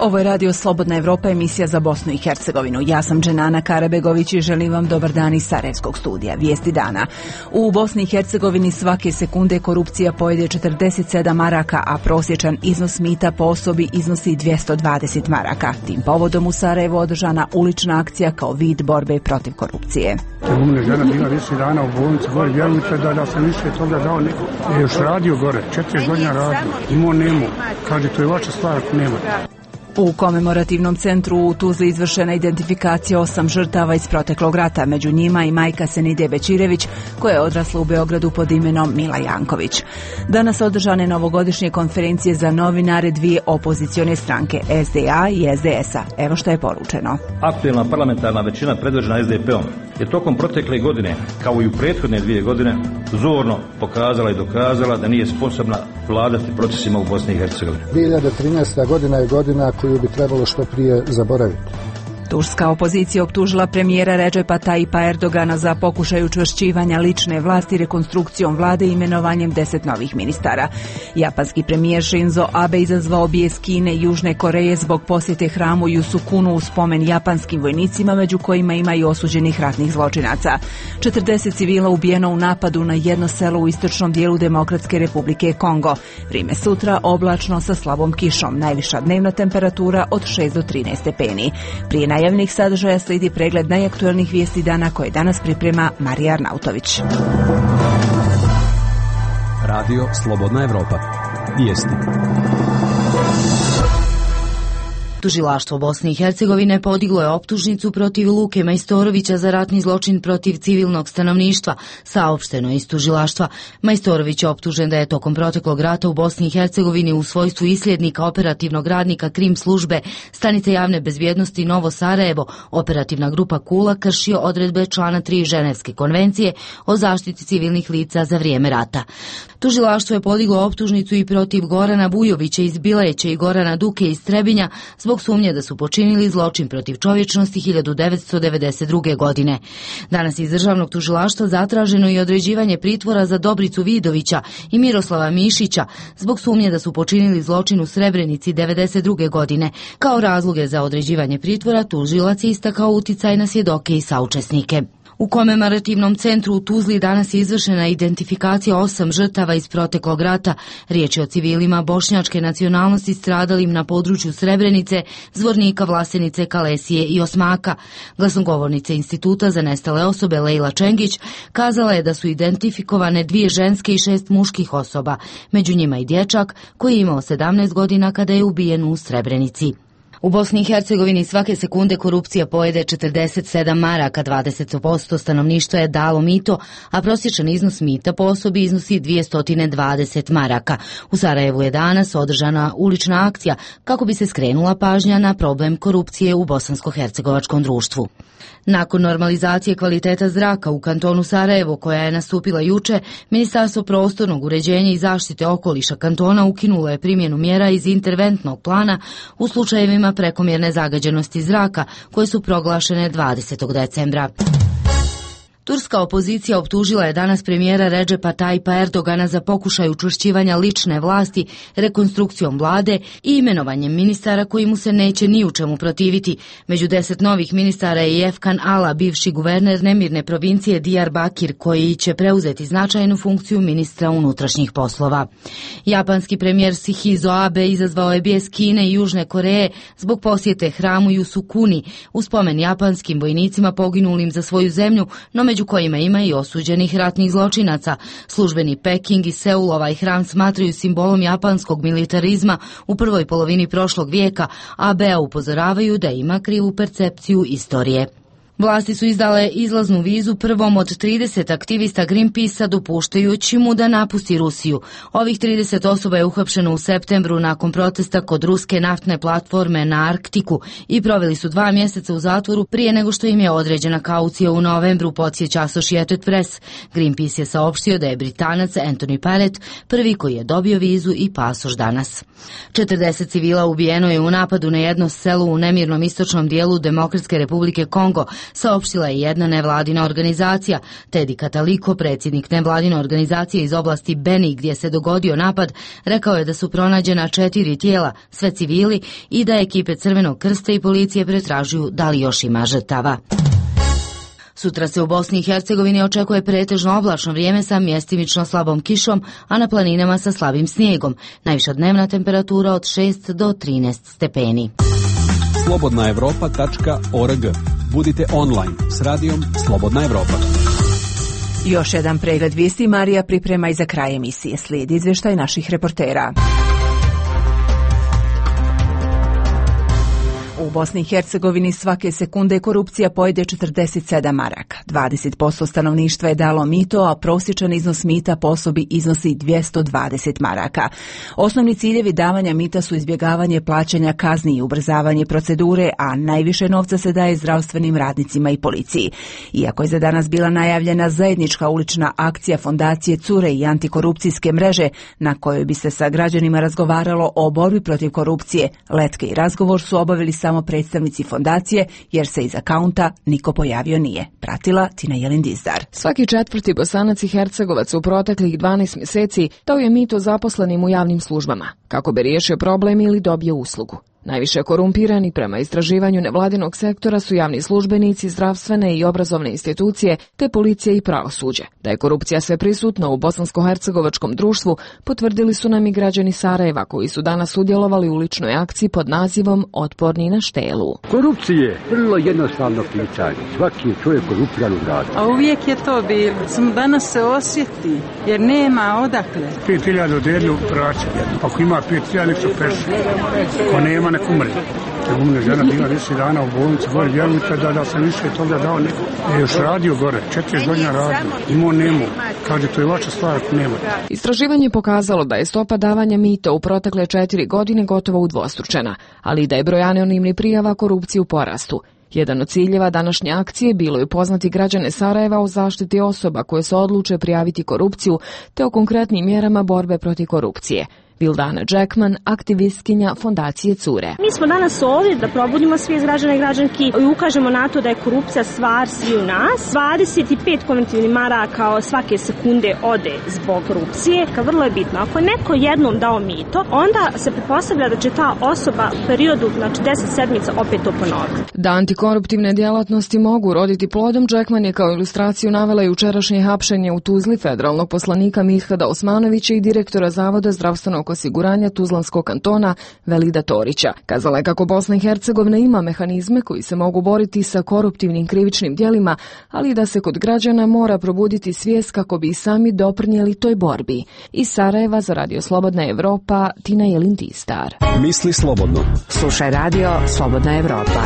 Ovo je Radio Slobodna Evropa, emisija za Bosnu i Hercegovinu. Ja sam Dženana Karabegović i želim vam dobar dan iz Sarajevskog studija. Vijesti dana. U Bosni i Hercegovini svake sekunde korupcija pojede 47 maraka, a prosječan iznos mita po osobi iznosi 220 maraka. Tim povodom u Sarajevu održana ulična akcija kao vid borbe protiv korupcije. Umne žena bila više dana u bolnici gore, vjerujte da sam više toga dao neko. Još radio gore, 4 godina radio, imao nemo. Kaže, to je vaša stvar ako nema. U komemorativnom centru u Tuzli izvršena identifikacija 8 žrtava iz proteklog rata, među njima i majka Senide Bećirević, koja je odrasla u Beogradu pod imenom Mila Janković. Danas održane novogodišnje konferencije za novinare dvije opozicione stranke, SDA i SDS-a. Evo što je poručeno. Aktuelna parlamentarna većina predvođena SDP-om je tokom protekle godine, kao i u prethodne 2 godine, zorno pokazala i dokazala da nije sposobna vladati procesima u Bosni i Hercegovini. 2013. godina je godina koju bi trebalo što prije zaboraviti. Turska opozicija optužila premijera Redžepa Tayyipa Erdogana za pokušaj učvršćivanja lične vlasti rekonstrukcijom vlade i imenovanjem 10 novih ministara. Japanski premijer Shinzo Abe izazvao bijes Kine i Južne Koreje zbog posjete hramu Jusukunu u spomen japanskim vojnicima, među kojima ima i osuđenih ratnih zločinaca. 40 civila ubijeno u napadu na jedno selo u istočnom dijelu Demokratske Republike Kongo. Vrime sutra oblačno sa slabom kišom, najviša dnevna temperatura od 6 do 13 stepeni. Prije najavnih sadržaja slijedi pregled najaktuelnijih vijesti dana koje danas priprema Marija Arnautović. Radio Slobodna Evropa. Vijesti. Tužilaštvo Bosne i Hercegovine podiglo je optužnicu protiv Luke Majstorovića za ratni zločin protiv civilnog stanovništva, saopšteno je iz tužilaštva. Majstorović je optužen da je tokom proteklog rata u Bosni i Hercegovini u svojstvu isljednika operativnog radnika Krim službe Stanice javne bezbjednosti Novo Sarajevo, operativna grupa Kula, kršio odredbe člana 3 Ženevske konvencije o zaštiti civilnih lica za vrijeme rata. Tužilaštvo je podiglo optužnicu i protiv Gorana Bujovića iz Bileće i Gorana Duke iz Trebinja zbog sumnje da su počinili zločin protiv čovječnosti 1992. godine. Danas iz državnog tužilaštva zatraženo i određivanje pritvora za Dobricu Vidovića i Miroslava Mišića zbog sumnje da su počinili zločin u Srebrenici 1992. godine. Kao razloge za određivanje pritvora tužilac je istakao uticaj na svjedoke i saučesnike. U komemorativnom centru u Tuzli danas je izvršena identifikacija 8 žrtava iz proteklog rata. Riječ je o civilima bošnjačke nacionalnosti stradalim na području Srebrenice, Zvornika, Vlasenice, Kalesije i Osmaka. Glasnogovornica Instituta za nestale osobe Lejla Čengić kazala je da su identifikovane 2 ženske i 6 muških osoba, među njima i dječak koji je imao 17 godina kada je ubijen u Srebrenici. U Bosni i Hercegovini svake sekunde korupcija pojede 47 maraka, 20% stanovništva je dalo mito, a prosječan iznos mita po osobi iznosi 220 maraka. U Sarajevu je danas održana ulična akcija kako bi se skrenula pažnja na problem korupcije u bosansko-hercegovačkom društvu. Nakon normalizacije kvaliteta zraka u kantonu Sarajevo, koja je nastupila juče, Ministarstvo prostornog uređenja i zaštite okoliša kantona ukinulo je primjenu mjera iz interventnog plana u slučajevima prekomjerne zagađenosti zraka, koje su proglašene 20. decembra. Turska opozicija optužila je danas premijera Redžepa Tayyipa Erdogana za pokušaj učvršćivanja lične vlasti, rekonstrukcijom vlade i imenovanjem ministara koji mu se neće ni u čemu protiviti. Među 10 novih ministara je i Efkan Ala, bivši guverner nemirne provincije Diyarbakir, koji će preuzeti značajnu funkciju ministra unutrašnjih poslova. Japanski premijer Shinzo Abe izazvao je bijes Kine i Južne Koreje zbog posjete hramu Jusukuni u spomen japanskim vojnicima poginulim za svoju zemlju, no među kojima ima i osuđenih ratnih zločinaca. Službeni Peking i Seul ovaj hram smatraju simbolom japanskog militarizma u prvoj polovini prošlog vijeka, a BA upozoravaju da ima krivu percepciju istorije. Vlasti su izdale izlaznu vizu prvom od 30 aktivista Greenpeace-a, dopuštajući mu da napusti Rusiju. Ovih 30 osoba je uhapšeno u septembru nakon protesta kod ruske naftne platforme na Arktiku i proveli su 2 mjeseca u zatvoru prije nego što im je određena kaucija u novembru, podsjeća Associated Press. Greenpeace je saopštio da je Britanac Anthony Parrott prvi koji je dobio vizu i pasoš danas. 40 civila ubijeno je u napadu na jedno selo u nemirnom istočnom dijelu Demokratske Republike Kongo, saopštila je jedna nevladina organizacija. Teddy Kataliko, predsjednik nevladine organizacije iz oblasti Beni gdje se dogodio napad, rekao je da su pronađena 4 tijela, sve civili, i da ekipe Crvenog krsta i policije pretražuju da li još ima žrtava. Sutra se u Bosni i Hercegovini očekuje pretežno oblačno vrijeme sa mjestimično slabom kišom, a na planinama sa slabim snijegom. Najviša dnevna temperatura od 6 do 13 stepeni. Slobodnaevropa.org. Budite online s radijom Slobodna Evropa. Još jedan pregled vijesti Marija priprema i za kraj emisije. Slijedi izvještaj naših reportera. U Bosni i Hercegovini svake sekunde korupcija pojede 47 maraka. 20% stanovništva je dalo mito, a prosječan iznos mita po osobi iznosi 220 maraka. Osnovni ciljevi davanja mita su izbjegavanje plaćanja kazni i ubrzavanje procedure, a najviše novca se daje zdravstvenim radnicima i policiji. Iako je za danas bila najavljena zajednička ulična akcija Fondacije Cure i antikorupcijske mreže, na kojoj bi se sa građanima razgovaralo o borbi protiv korupcije, letke i razgovor su obavili samo predstavnici fondacije, jer se iz akaunta niko pojavio nije. Pratila Tina Jelindizdar. Svaki 4. Bosanac i Hercegovac u proteklih 12 mjeseci dao je mito zaposlenim u javnim službama, kako bi riješio problem ili dobio uslugu. Najviše korumpirani prema istraživanju nevladinog sektora su javni službenici, zdravstvene i obrazovne institucije, te policija i pravosuđe. Da je korupcija sve prisutna u bosansko-hercegovačkom društvu, potvrdili su nam i građani Sarajeva, koji su danas sudjelovali u uličnoj akciji pod nazivom Otporni na štelu. Korupcije, vrlo jednostavno pitanje. Svaki je čovjek korumpiran u gradu. A uvijek je to bilo. Samo danas se osjeti, jer nema odakle. 5.000 odjelju praći. Ako ima 5.000, nek se peši. Ako nema, nek umre. Umre žena bila 10 dana u bolnici, gore vjerujte da sam više toga dao neko. Još radio gore, 4 godina radio. Imao nemo. Kaže, to je vaša stvar ako nema. Istraživanje je pokazalo da je stopa davanja mita u protekle 4 godine gotovo udvostručena, ali i da je broj anonimnih prijava korupcije u porastu. Jedan od ciljeva današnje akcije bilo je upoznati građane Sarajeva o zaštiti osoba koje se odluče prijaviti korupciju, te o konkretnim mjerama borbe protiv korupcije. Vildana Jackman, aktivistkinja Fondacije Cure. Mi smo danas ovdje da probudimo svijest građana i građanki i ukažemo na to da je korupcija stvar svi u nas. 25 konvertibilnih maraka svake sekunde ode zbog korupcije. Vrlo je bitno, ako je neko jednom dao mito, onda se pretpostavlja da će ta osoba u periodu, 10 sedmica, opet to ponoviti. Da antikoruptivne djelatnosti mogu roditi plodom, Jackman je kao ilustraciju navela jučerašnje hapšenje u Tuzli federalnog poslanika Mihada Osmanovića i direktora Zavoda zdravstvenog osiguranja Tuzlanskog kantona Velida Torića. Kazala je kako Bosna i Hercegovina ima mehanizme koji se mogu boriti sa koruptivnim krivičnim djelima, ali da se kod građana mora probuditi svijest kako bi i sami doprinijeli toj borbi. Iz Sarajeva za Radio Slobodna Evropa, Tina Jelindizdar. Misli slobodno. Slušaj Radio Slobodna Evropa.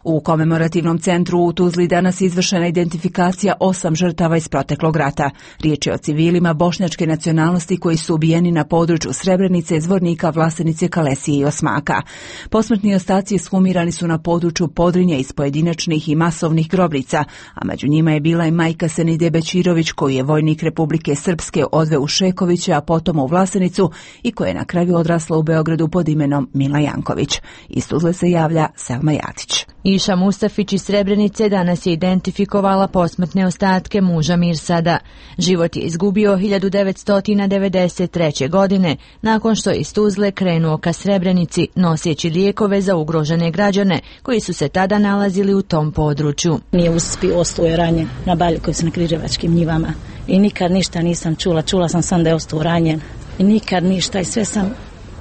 U komemorativnom centru u Tuzli danas izvršena identifikacija 8 žrtava iz proteklog rata. Riječ je o civilima bošnjačke nacionalnosti koji su ubijeni na području Srebrenice, Zvornika, Vlasenice, Kalesije i Osmaka. Posmrtni ostaci ekshumirani su na području Podrinja iz pojedinačnih i masovnih grobnica, a među njima je bila i majka Senide Bećirović, koju je vojnik Republike Srpske odveo u Šekoviće, a potom u Vlasenicu i koja je na kraju odrasla u Beogradu pod imenom Mila Janković. Iz Tuzle se javlja Selma Jatić. Iša Mustafić iz Srebrenice danas je identifikovala posmrtne ostatke muža Mirsada. Život je izgubio 1993. godine, nakon što je iz Tuzle krenuo ka Srebrenici, noseći lijekove za ugrožene građane, koji su se tada nalazili u tom području. Nije uspio, ostao je ranjen na Baljukovcu na Križevačkim njivama. I nikad ništa nisam čula sam da je ostao ranjen. I nikad ništa, i sve sam,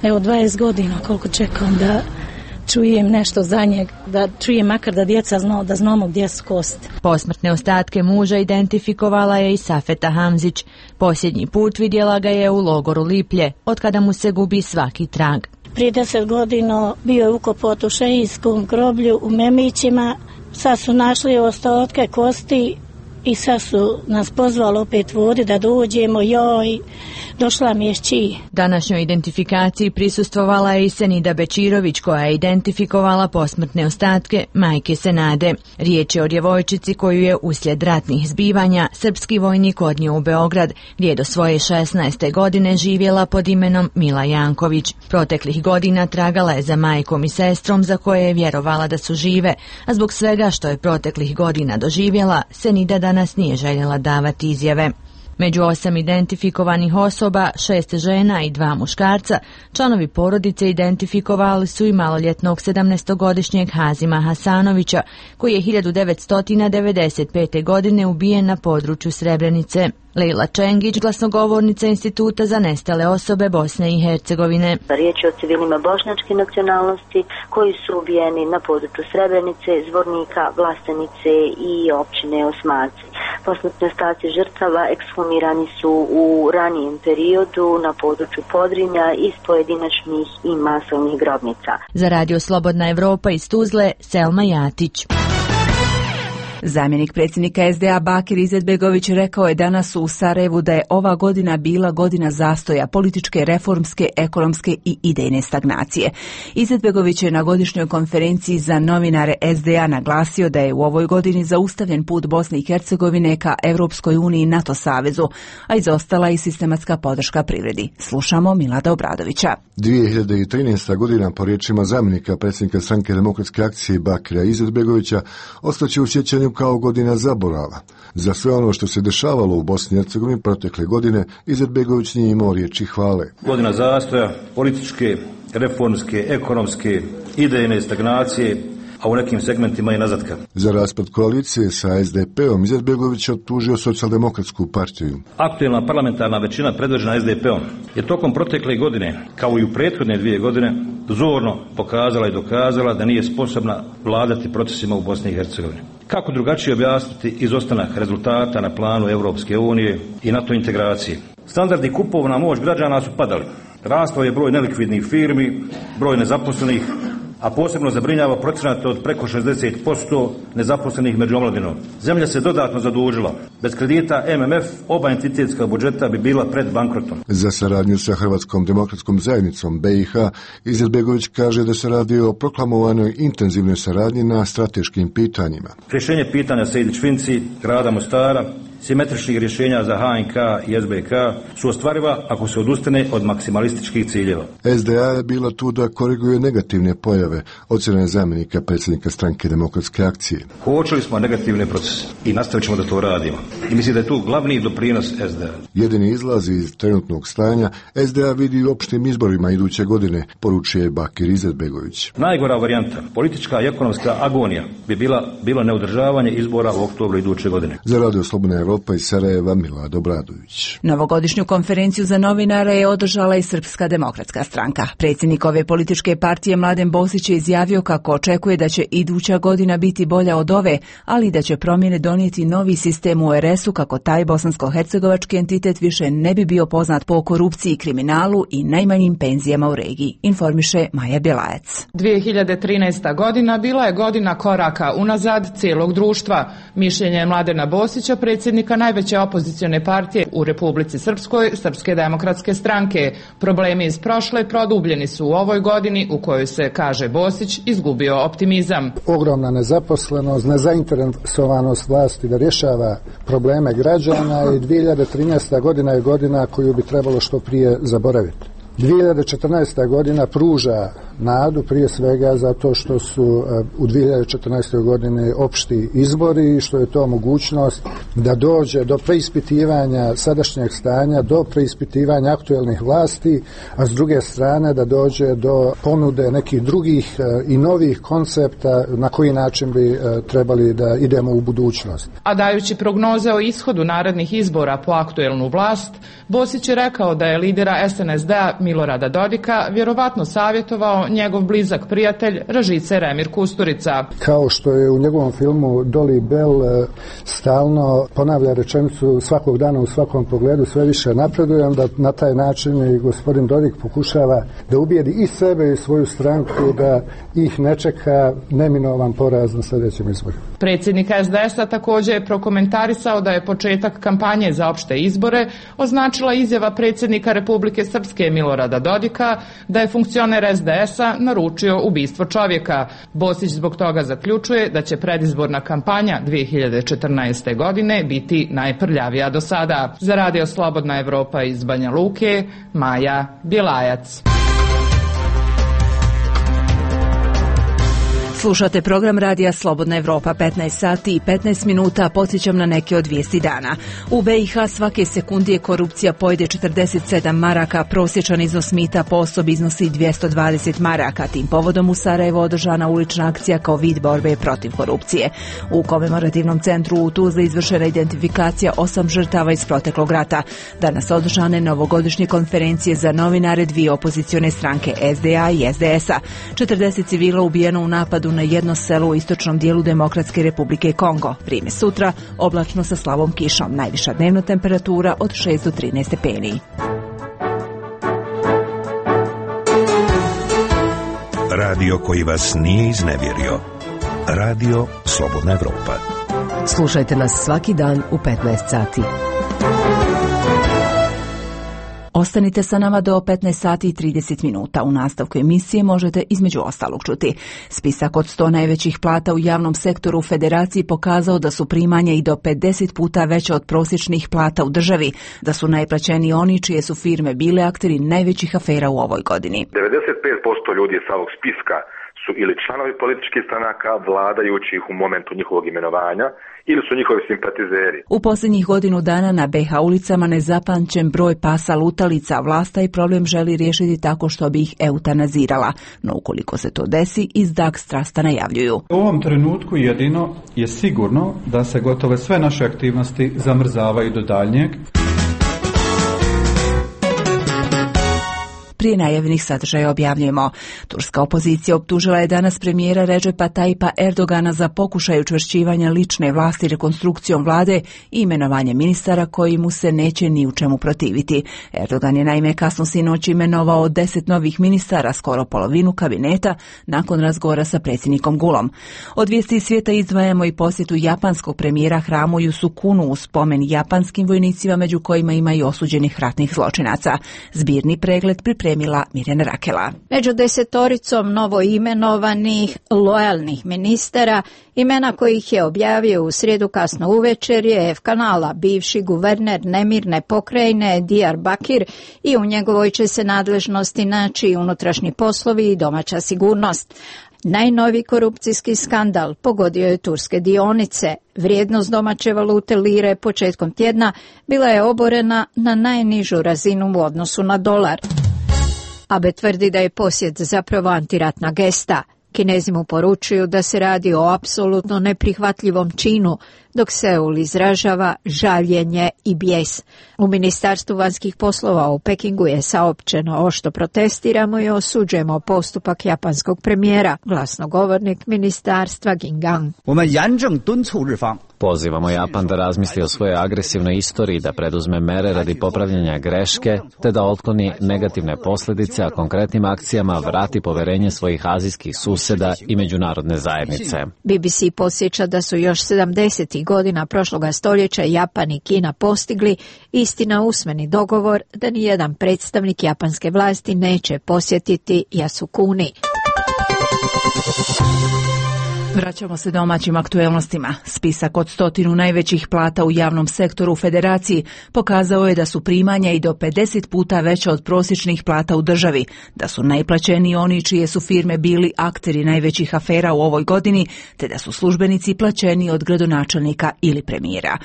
20 godina koliko čekam da čujem nešto za njeg, da čujem makar da djeca da znamo gdje su kosti. Posmrtne ostatke muža identifikovala je i Safeta Hamzić. Posljednji put vidjela ga je u logoru Liplje, otkada mu se gubi svaki trag. Prije 10 godina bio je ukopat u šehijskom groblju u Memićima. Sad su našli ostatke kosti i sad su nas pozvali opet vodi da dođemo, joj, došla mi je šći. Današnjoj identifikaciji prisustvovala je i Senida Bečirović, koja je identifikovala posmrtne ostatke majke Senade. Riječ je o djevojčici koju je uslijed ratnih zbivanja srpski vojnik odnio u Beograd, gdje je do svoje 16. godine živjela pod imenom Mila Janković. Proteklih godina tragala je za majkom i sestrom za koje je vjerovala da su žive, a zbog svega što je proteklih godina doživjela, Senida danas nije željela davati izjave. Među 8 identifikovanih osoba, 6 žena i 2 muškarca, članovi porodice identifikovali su i maloljetnog 17-godišnjeg Hazima Hasanovića, koji je 1995. godine ubijen na području Srebrenice. Lejla Čengić, glasnogovornica Instituta za nestale osobe Bosne i Hercegovine. Riječ je o civilima bošnjačke nacionalnosti koji su ubijeni na području Srebrenice, Zvornika, Vlastenice i općine Osmaci. Posmrtni ostaci žrtava ekshumirani su u ranijem periodu na području Podrinja iz pojedinačnih i masovnih grobnica. Za Radio Slobodna Evropa iz Tuzle, Selma Jatić. Zamjenik predsjednika SDA Bakir Izetbegović rekao je danas u Sarajevu da je ova godina bila godina zastoja, političke, reformske, ekonomske i idejne stagnacije. Izetbegović je na godišnjoj konferenciji za novinare SDA naglasio da je u ovoj godini zaustavljen put Bosne i Hercegovine ka Europskoj uniji i NATO savezu, a izostala i sistematska podrška privredi. Slušamo Milada Obradovića. 2013. godina, po riječima zamjenika predsjednika Stranke demokratske akcije Bakira Izetbegovića, ostaće u sjećanju kao godina zaborava. Za sve ono što se dešavalo u Bosni i Hercegovini protekle godine, Izetbegović nije imao riječi hvale. Godina zastoja, političke, reformske, ekonomske, idejne stagnacije, a u nekim segmentima i nazadka. Za raspad koalicije sa SDP-om Izetbegović je optužio Socijaldemokratsku partiju. Aktuelna parlamentarna većina predvođena SDP-om je tokom protekle godine, kao i u prethodne 2 godine, zorno pokazala i dokazala da nije sposobna vladati procesima u Bosni i Hercegovini. Kako drugačije objasniti izostanak rezultata na planu Europske unije i NATO integracije? Standardi kupovna moć građana su padali. Rastao je broj nelikvidnih firmi, broj nezaposlenih, a posebno zabrinjava procenat od preko 60% nezaposlenih među omladinom. Zemlja se dodatno zadužila. Bez kredita MMF oba entitetska budžeta bi bila pred bankrotom. Za saradnju sa Hrvatskom demokratskom zajednicom BiH, Izetbegović kaže da se radi o proklamovanoj intenzivnoj saradnji na strateškim pitanjima. Rješenje pitanja Sejdić-Finci, grada Mostara, simetričnih rješenja za HNK i SBK su ostvariva ako se odustane od maksimalističkih ciljeva. SDA je bila tu da koriguje negativne pojave, ocjena je zamjenika predsjednika Stranke demokratske akcije. Uočili smo negativne procese i nastavit ćemo da to radimo. I mislim da je tu glavni doprinos SDA. Jedini izlaz iz trenutnog stanja SDA vidi u opštim izborima iduće godine, poručuje Bakir Izetbegović. Najgora varijanta, politička i ekonomska agonija, bi bilo neodržavanje izbora u oktobru iduće godine. Za Radio Slobodna Evropa iz Sarajeva, Milad Obradović. Novogodišnju konferenciju za novinare je održala i Srpska demokratska stranka. Predsjednik ove političke partije Mladen Bosić je izjavio kako očekuje da će iduća godina biti bolja od ove, ali da će promjene donijeti novi sistem u RS-u kako taj bosansko-hercegovački entitet više ne bi bio poznat po korupciji i kriminalu i najmanjim penzijama u regiji, informiše Maja Bjelajac. 2013. godina bila je godina koraka unazad cijelog društva. Mišljenje je Mladena Bosića, predsjednika najveće opozicione partije u Republici Srpskoj, Srpske demokratske stranke. Problemi iz prošle produbljeni su u ovoj godini u kojoj se, kaže Bosić, izgubio optimizam. Ogromna nezaposlenost, nezainteresovanost vlasti da rješava probleme građana i 2013. godina je godina koju bi trebalo što prije zaboraviti. 2014. godina pruža nadu prije svega zato što su u 2014. godini opšti izbori i što je to mogućnost da dođe do preispitivanja sadašnjeg stanja, do preispitivanja aktuelnih vlasti, a s druge strane da dođe do ponude nekih drugih i novih koncepta na koji način bi trebali da idemo u budućnost. A dajući prognoze o ishodu narednih izbora po aktuelnu vlast, Bosić je rekao da je lidera SNSD-a Milorada Dodika vjerovatno savjetovao njegov blizak prijatelj Ražice Remir Kusturica. Kao što je u njegovom filmu Dolly Bell stalno ponavlja rečenicu svakog dana u svakom pogledu sve više napredujem, da na taj način i gospodin Dodik pokušava da ubijedi i sebe i svoju stranku da ih ne čeka neminovan poraz na sljedećem izboru. Predsjednik SDS-a također je prokomentarisao da je početak kampanje za opšte izbore označila izjava predsjednika Republike Srpske Milorada Dodika da je funkcioner SDS-a naručio ubistvo čovjeka. Bosić zbog toga zaključuje da će predizborna kampanja 2014. godine biti najprljavija do sada. Za Radio Slobodna Evropa iz Banja Luke, Maja Bjelajac. Slušate program Radija Slobodna Evropa, 15 sati i 15 minuta, podsjećam na neke od vijesti dana. U BiH svake sekundije korupcija pojede 47 maraka, prosječan iznos mita po osobi iznosi 220 maraka. Tim povodom u Sarajevu održana ulična akcija kao vid borbe protiv korupcije. U komemorativnom centru u Tuzli izvršena identifikacija 8 žrtava iz proteklog rata. Danas održane novogodišnje konferencije za novinare dvije opozicione stranke SDA i SDS-a. 40 civila ubijeno u napadu na jedno selo u istočnom dijelu Demokratske Republike Kongo. Vrijeme sutra, oblačno sa slabom kišom. Najviša dnevna temperatura od 6 do 13 stepeni. Radio koji vas nije iznevjerio. Radio Slobodna Evropa. Slušajte nas svaki dan u 15 sati. Ostanite sa nama do 15 sati i 30 minuta. U nastavku emisije možete između ostalog čuti. Spisak od 100 najvećih plata u javnom sektoru u Federaciji pokazao da su primanja i do 50 puta veća od prosječnih plata u državi, da su najplaćeniji oni čije su firme bile akteri najvećih afera u ovoj godini. 95% ljudi sa ovog spiska su ili članovi političkih stranaka, vladajućih u momentu njihovog imenovanja, ili su njihovi simpatizeri. U posljednjih godinu dana na BiH ulicama nezapamćen broj pasa lutalica, vlast taj problem želi riješiti tako što bi ih eutanazirala. No ukoliko se to desi, iz Dag Strasta najavljuju. U ovom trenutku jedino je sigurno da se gotove sve naše aktivnosti zamrzavaju do daljnjeg. Prije najavljenih sadržaja objavljujemo. Turska opozicija optužila je danas premijera Redžepa Tajipa Erdogana za pokušaj učvršćivanja lične vlasti rekonstrukcijom vlade i imenovanje ministara koji mu se neće ni u čemu protiviti. Erdogan je naime kasno sinoć imenovao 10 novih ministara, skoro polovinu kabineta, nakon razgovora sa predsjednikom Gulom. Od vijesti svijeta izdvajamo i posjetu japanskog premijera hramu Jusukunu u spomen japanskim vojnicima, među kojima ima i osuđenih ratnih zločinaca. Zbirni pregled pripremila Mirjana Rakela. Među 10 novo imenovanih lojalnih ministara, imena kojih je objavio u srijedu kasno uvečer je F kanala, bivši guverner nemirne pokrajine Diyarbakir, i u njegovoj će se nadležnosti naći unutrašnji poslovi i domaća sigurnost. Najnoviji korupcijski skandal pogodio je turske dionice. Vrijednost domaće valute lire početkom tjedna bila je oborena na najnižu razinu u odnosu na dolar. Abe tvrdi da je posjet zapravo antiratna gesta. Kinezi mu poručuju da se radi o apsolutno neprihvatljivom činu, dok Seul izražava žaljenje i bijes. U Ministarstvu vanjskih poslova u Pekingu je saopćeno: ošto protestiramo i osuđujemo postupak japanskog premijera, glasnogovornik ministarstva Gingang. Pozivamo Japan da razmisli o svojoj agresivnoj istoriji, da preduzme mere radi popravljanja greške, te da otkloni negativne posljedice, a konkretnim akcijama vrati poverenje svojih azijskih susjeda i međunarodne zajednice. BBC podsjeća da su još 70. godina prošloga stoljeća Japan i Kina postigli istina usmeni dogovor da nijedan predstavnik japanske vlasti neće posjetiti Yasukuni. Vraćamo se domaćim aktuelnostima. Spisak od 100 najvećih plata u javnom sektoru u Federaciji pokazao je da su primanja i do 50 puta veća od prosječnih plata u državi, da su najplaćeniji oni čije su firme bili akteri najvećih afera u ovoj godini, te da su službenici plaćeni od gradonačelnika ili premijera.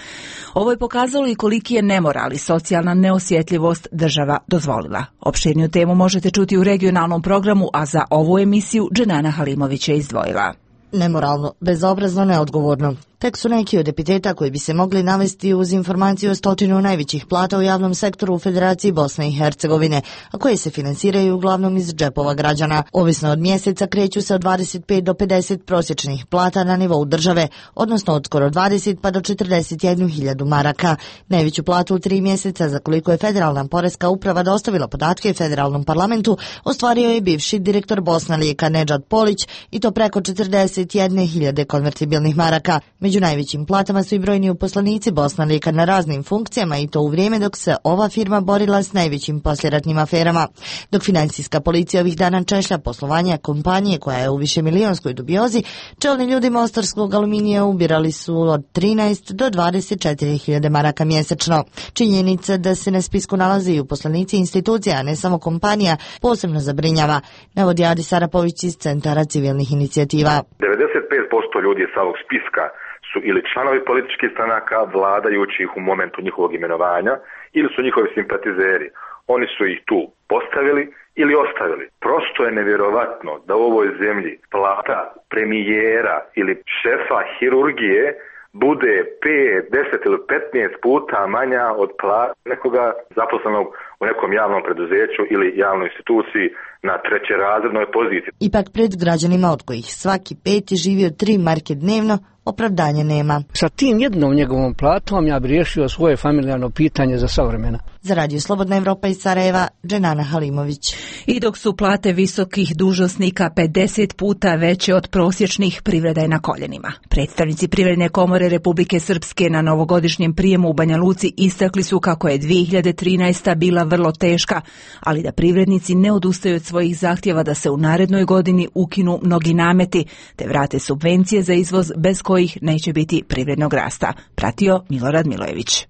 Ovo je pokazalo i koliki je nemoral i socijalna neosjetljivost država dozvolila. Opširniju temu možete čuti u regionalnom programu, a za ovu emisiju Dženana Halimović je izdvojila. Nemoralno, bezobrazno, neodgovorno. Tek su neki od epiteta koji bi se mogli navesti uz informaciju o 100 najvećih plata u javnom sektoru u Federaciji Bosne i Hercegovine, a koje se finansiraju uglavnom iz džepova građana. Ovisno od mjeseca kreću se od 25 do 50 prosječnih plata na nivou države, odnosno od skoro 20 pa do 41.000 maraka. Najveću platu u 3 mjeseca, za koliko je Federalna poreska uprava dostavila podatke Federalnom parlamentu, ostvario je bivši direktor Bosnalijeka Nedžad Polić, i to preko 41.000 konvertibilnih maraka. Među najvećim platama su i brojni uposlenici Bosnalijeka na raznim funkcijama, i to u vrijeme dok se ova firma borila s najvećim posljeratnim aferama. Dok financijska policija ovih dana češlja poslovanja kompanije koja je u višemilijonskoj dubiozi, čelni ljudi mostarskog aluminija ubirali su od 13 do 24.000 maraka mjesečno. Činjenica da se na spisku nalaze i uposlenici institucija, a ne samo kompanija, posebno zabrinjava, navodi Adi Sarapović iz Centara civilnih inicijativa. 95% ljudi sa ovog spiska su ili članovi političkih stranaka vladajućih u momentu njihovog imenovanja ili su njihovi simpatizeri. Oni su ih tu postavili ili ostavili. Prosto je nevjerovatno da u ovoj zemlji plata premijera ili šefa hirurgije bude 5, 10 ili 15 puta manja od plata nekoga zaposlenog u nekom javnom preduzeću ili javnoj instituciji na trećerazrednoj poziciji. Ipak pred građanima, od kojih svaki 5 živi od 3 marke dnevno, opravdanja nema. Sa tim jednom njegovom platom ja bi riješio svoje familijarno pitanje za savremena. Za Radio Slobodna Evropa iz Sarajeva, Dženana Halimović. I dok su plate visokih dužnosnika 50 puta veće od prosječnih, privreda je na koljenima. Predstavnici Privredne komore Republike Srpske na novogodišnjem prijemu u Banja Luci istakli su kako je 2013. bila vrlo teška, ali da privrednici ne odustaju od svojih zahtjeva da se u narednoj godini ukinu mnogi nameti, te vrate subvencije za izvoz bez kojih neće biti privrednog rasta. Pratio Milorad Milojević.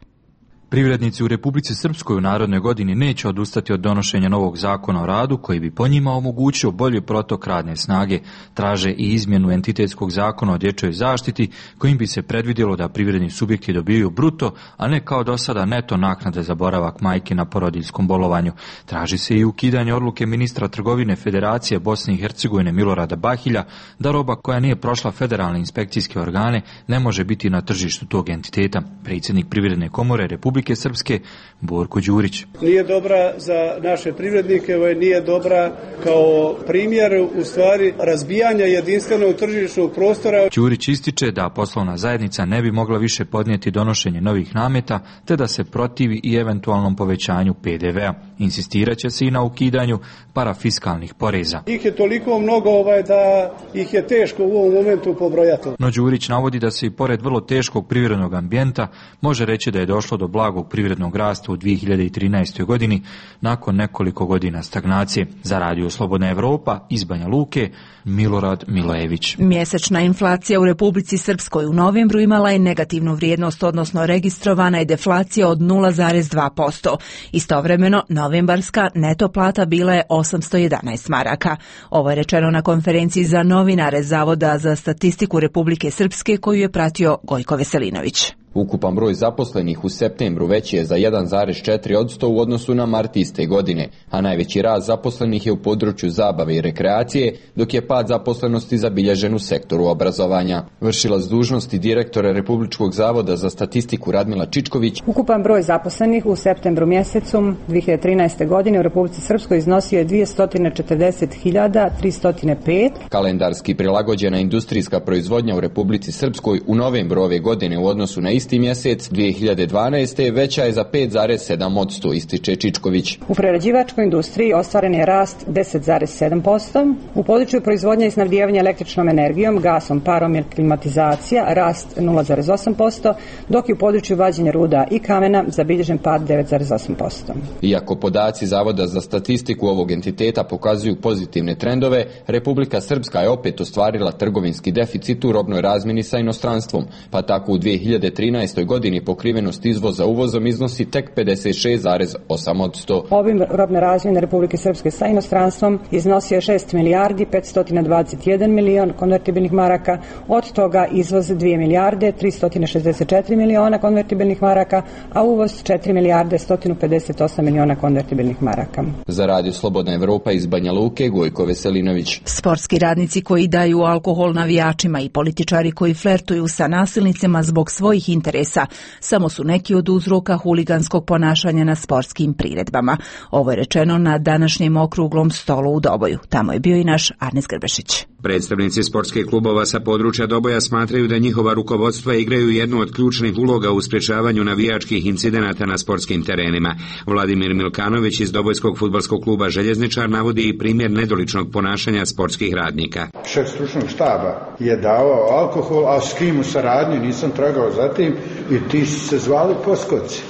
Privrednici u Republici Srpskoj u narodnoj godini neće odustati od donošenja novog zakona o radu koji bi po njima omogućio bolji protok radne snage. Traže i izmjenu entitetskog zakona o dječjoj zaštiti kojim bi se predvidjelo da privredni subjekti dobiju bruto, a ne kao do sada neto naknade za boravak majke na porodiljskom bolovanju. Traži se i ukidanje odluke ministra trgovine Federacije Bosne i Hercegovine Milorada Bahilja da roba koja nije prošla federalne inspekcijske organe ne može biti na tržištu tog entiteta. Predsjednik Privredne komore Republike Srpske Borko Đurić. Nije dobra za naše privrednike, nije dobra kao primjer u stvari razbijanja jedinstvenog tržišnog prostora. Đurić ističe da poslovna zajednica ne bi mogla više podnijeti donošenje novih nameta, te da se protivi i eventualnom povećanju PDV-a. Insistirat će se i na ukidanju parafiskalnih poreza. Ih je toliko mnogo da ih je teško u ovom momentu pobrojati. No Đurić navodi da se i pored vrlo teškog privrednog ambijenta može reći da je došlo do blagog privrednog rasta u 2013. godini nakon nekoliko godina stagnacije. Za Radio Slobodna Evropa iz Banja Luke, Milorad Milojević. Mjesečna inflacija u Republici Srpskoj u novembru imala je negativnu vrijednost, odnosno registrovana je deflacija od 0,2%. Istovremeno, novembarska neto plata bila je 811 maraka. Ovo je rečeno na konferenciji za novinare Zavoda za statistiku Republike Srpske koju je pratio Gojko Veselinović. Ukupan broj zaposlenih u septembru veći je za 1,4% u odnosu na mart iste godine, a najveći rast zaposlenih je u području zabave i rekreacije, dok je pad zaposlenosti zabilježen u sektoru obrazovanja. Vršilac dužnosti direktora Republičkog zavoda za statistiku Radmila Čičković. Ukupan broj zaposlenih u septembru mjesecu 2013. godine u Republici Srpskoj iznosio je 240.305. Kalendarski prilagođena industrijska proizvodnja u Republici Srpskoj u novembru ove godine u odnosu na isti mjesec 2012. veća je za 5,7%, ističe Čičković. U prerađivačkoj industriji ostvaren je rast 10,7%. U području proizvodnje i snabdijevanja električnom energijom, gasom, parom i klimatizacija rast 0,8%, dok je u području vađenja ruda i kamena zabilježen pad 9,8%. Iako podaci Zavoda za statistiku ovog entiteta pokazuju pozitivne trendove, Republika Srpska je opet ostvarila trgovinski deficit u robnoj razmjeni sa inostranstvom, pa tako u 2013. 2013. godini pokrivenost izvoza uvozom iznosi tek 56,8%. Obim robne razmjene Republike Srpske sa inostranstvom iznosio je 6 milijardi 521 milion konvertibilnih maraka, od toga izvoz 2 milijarde 364 miliona konvertibilnih maraka, a uvoz 4 milijarde 158 miliona konvertibilnih maraka. Za Radio Slobodna Evropa iz Banja Luke, Gojko Veselinović. Sportski radnici koji daju alkohol navijačima i političari koji flertuju sa nasilnicima zbog svojih interesa samo su neki od uzroka huliganskog ponašanja na sportskim priredbama. Ovo je rečeno na današnjem okruglom stolu u Doboju. Tamo je bio i naš Arnes Grbešić. Predstavnici sportskih klubova sa područja Doboja smatraju da njihova rukovodstva igraju jednu od ključnih uloga u sprečavanju navijačkih incidenata na sportskim terenima. Vladimir Milkanović iz Dobojskog fudbalskog kluba Željezničar navodi i primjer nedoličnog ponašanja sportskih radnika. Šef stručnog štaba je davao alkohol, a s kim u saradnji nisam tragao za tim i ti su se zvali poskoci.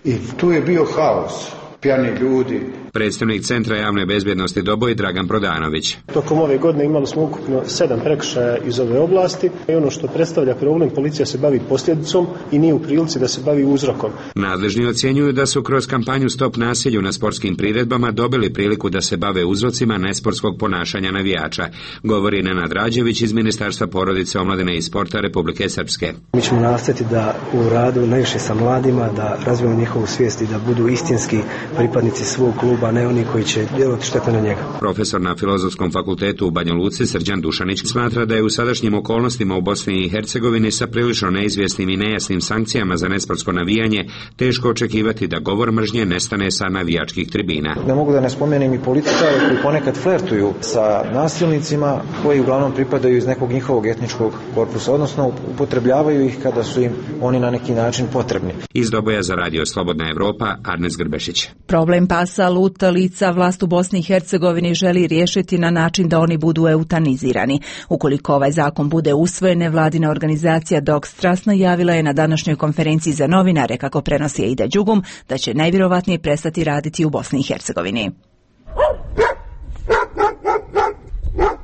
I tu je bio haos, pijani ljudi. Predstavnik Centra javne bezbjednosti Doboj Dragan Prodanović. Tokom ove godine imali smo ukupno 7 prekršaja iz ove oblasti i ono što predstavlja problem, policija se bavi posljedicom i nije u prilici da se bavi uzrokom. Nadležni ocjenjuju da su kroz kampanju Stop nasilju na sportskim priredbama dobili priliku da se bave uzrocima nesportskog ponašanja navijača, govori Nenad Rađević iz Ministarstva porodice, omladine i sporta Republike Srpske. Mi ćemo nastaviti da u radu najviše sa mladima, da razvijemo njihovu svijest i da budu istinski pripadnici svog kluba, a ne oni koji će djelovati štetno na njega. Profesor na Filozofskom fakultetu u Banja Luci Srđan Dušanić smatra da je u sadašnjim okolnostima u Bosni i Hercegovini sa prilično neizvjesnim i nejasnim sankcijama za nesportsko navijanje teško očekivati da govor mržnje nestane sa navijačkih tribina. Ne mogu da ne spomenem i političare koji ponekad flertuju sa nasilnicima koji uglavnom pripadaju iz nekog njihovog etničkog korpusa, odnosno upotrebljavaju ih kada su im oni na neki način potrebni. Iz Doboja za Radio Slobodna Evropa, Arnes Grbešić. Problem pasa lutalica vlast u Bosni i Hercegovini želi riješiti na način da oni budu eutanizirani. Ukoliko ovaj zakon bude usvojen, nevladina organizacija Dogs Trust najavila je na današnjoj konferenciji za novinare, kako prenosi Aida Đugum, da će najvjerovatnije prestati raditi u Bosni i Hercegovini.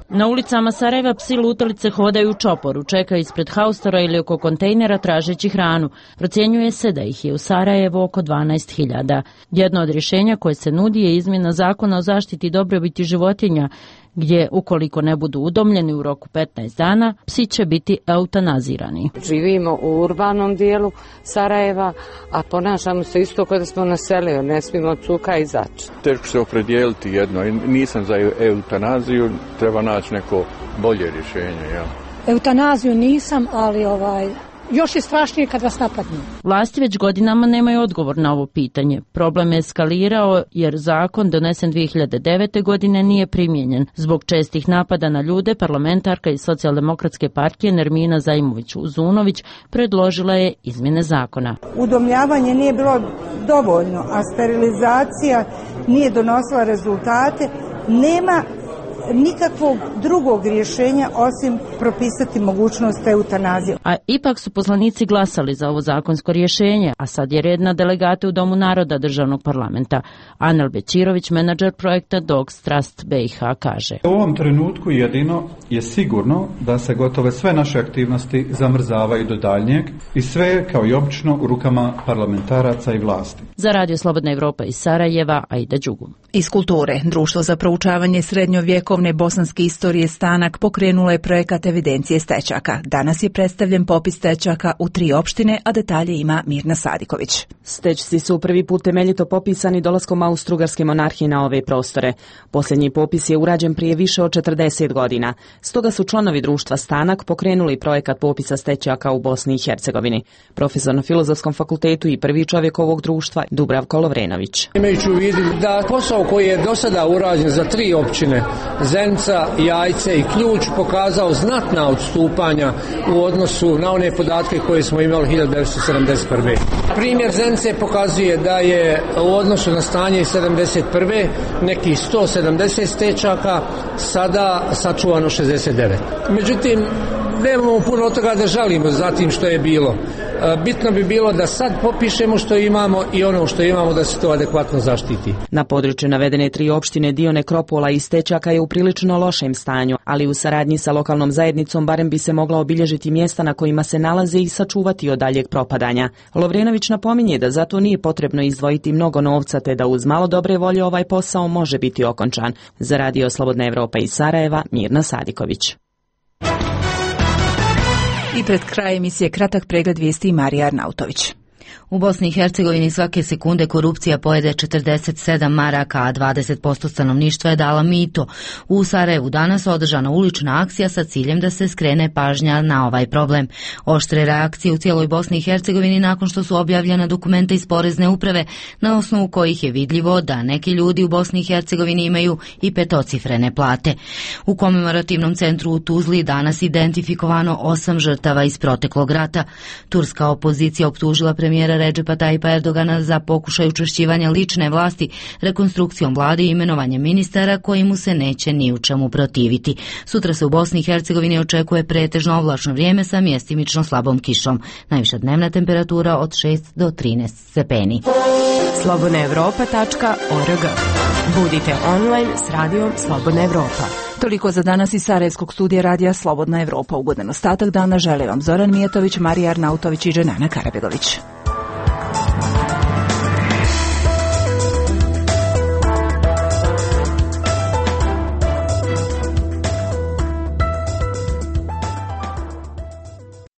Na ulicama Sarajeva psi lutalice hodaju u čoporu, čekaju ispred haustora ili oko kontejnera tražeći hranu. Procjenjuje se da ih je u Sarajevu oko 12.000. Jedno od rješenja koje se nudi je izmjena zakona o zaštiti dobrobiti životinja, gdje ukoliko ne budu udomljeni u roku 15 dana, psi će biti eutanazirani. Živimo u urbanom dijelu Sarajeva, a ponašamo se isto kada smo na selu, ne smijemo od cuka izaći. Teško se opredijeliti jedno, nisam za eutanaziju, treba naći neko bolje rješenje. Ja. Eutanaziju nisam, ali još je strašnije kad vas napadnu. Vlasti već godinama nemaju odgovor na ovo pitanje. Problem je eskalirao jer zakon donesen 2009. godine nije primijenjen. Zbog čestih napada na ljude, parlamentarka iz Socijaldemokratske partije Nermina Zaimović-Uzunović predložila je izmjene zakona. Udomljavanje nije bilo dovoljno, a sterilizacija nije donosila rezultate. Nema nikakvog drugog rješenja osim propisati mogućnost eutanazije. A ipak su poslanici glasali za ovo zakonsko rješenje, a sad je red na delegate u Domu naroda državnog parlamenta. Anel Bećirović, menadžer projekta Dogs Trust BiH, kaže. U ovom trenutku jedino je sigurno da se gotove sve naše aktivnosti zamrzavaju do daljnjeg i sve kao i obično u rukama parlamentaraca i vlasti. Za Radio Slobodna Evropa iz Sarajeva, Aida Đugum. Iz kulture, Društvo za proučavanje srednjovjekovne bosanske istorije Stanak pokrenulo je projekat evidencije stečaka. Danas je predstavljen popis stečaka u 3 opštine, a detalje ima Mirna Sadiković. Stečci su prvi put temeljito popisani dolaskom Austro-Ugarske monarhije na ove prostore. Posljednji popis je urađen prije više od 40 godina. Stoga su članovi društva Stanak pokrenuli projekat popisa stečaka u Bosni i Hercegovini. Profesor na Filozofskom fakultetu i prvi čovjek ovog društva Dubravko Lovrenović. Imajući u vidu da posao koji je do sada urađen za 3 općine, Zenica, Jajce i Ključ, pokazao znatna odstupanja u odnosu na one podatke koje smo imali 1971. Primjer Zenice pokazuje da je u odnosu na stanje 1971. nekih 170 stečaka, sada sačuvano 69. Međutim, nemamo puno od toga da žalimo za tim što je bilo. Bitno bi bilo da sad popišemo što imamo i ono što imamo da se to adekvatno zaštiti. Na području navedene 3 opštine dio nekropola i stečaka je u prilično lošem stanju, ali u saradnji sa lokalnom zajednicom barem bi se mogla obilježiti mjesta na kojima se nalaze i sačuvati od daljeg propadanja. Lovrenović napominje da zato nije potrebno izdvojiti mnogo novca, te da uz malo dobre volje ovaj posao može biti okončan. Za Radio Slobodna Evropa iz Sarajeva, Mirna Sadiković. I pred kraj emisije kratak pregled vijesti Marija Arnautović. U Bosni i Hercegovini svake sekunde korupcija pojede 47 maraka, a 20% stanovništva je dala mito. U Sarajevu danas održana ulična akcija sa ciljem da se skrene pažnja na ovaj problem. Oštre reakcije u cijeloj Bosni i Hercegovini nakon što su objavljena dokumenta iz Porezne uprave, na osnovu kojih je vidljivo da neki ljudi u Bosni i Hercegovini imaju i petocifrene plate. U komemorativnom centru u Tuzli danas identifikovano 8 žrtava iz proteklog rata. Turska opozicija optužila premijera Redžepa Tajipa Erdogana za pokušaj učvršćivanja lične vlasti, rekonstrukcijom vlade i imenovanjem ministara koji mu se neće ni u čemu protiviti. Sutra se u Bosni i Hercegovini očekuje pretežno oblačno vrijeme sa mjestimično slabom kišom. Najviša dnevna temperatura od 6 do 13 stepeni. slobodnaevropa.org. Budite online s radijom Slobodna Evropa. Toliko za danas iz Sarajevskog studija radija Slobodna Evropa. Ugodan ostatak dana žele vam Zoran Mijatović, Marija Arnautović i Dženana Karabegović.